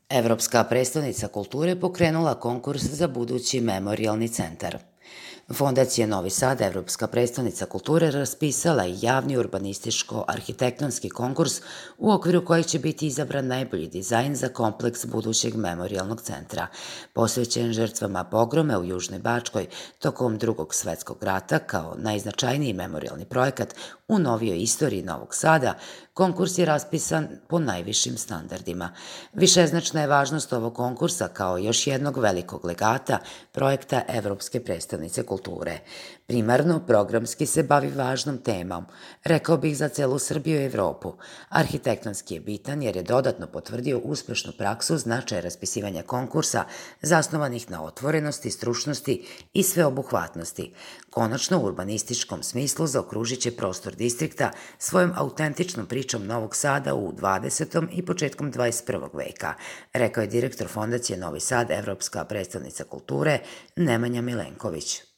Evropska prestonica kulture pokrenula konkurs za budući memorijalni centar. Fondacija Novi Sad, Evropska prestonica kulture, raspisala je javni urbanističko-arhitektonski konkurs u okviru kojeg će biti izabran najbolji dizajn za kompleks budućeg memorijalnog centra, posvećen žrtvama pogrome u Južnoj Bačkoj tokom Drugog svetskog rata kao najznačajniji memorijalni projekat u novijoj istoriji Novog Sada. Konkurs je raspisan po najvišim standardima. Višeznačna je važnost ovog konkursa kao još jednog velikog legata projekta Evropske prestonice kulture. Primarno, programski se bavi važnom temom, rekao bih za celu Srbiju i Evropu. Arhitektonski je bitan jer je dodatno potvrdio uspešnu praksu značaja raspisivanja konkursa zasnovanih na otvorenosti, stručnosti i sveobuhvatnosti. Konačno, u urbanističkom smislu zaokružit će prostor distrikta svojom autentičnom pričom Novog Sada u 20. i početkom 21. veka, rekao je direktor Fondacije Novi Sad, Evropska prestonica kulture, Nemanja Milenković.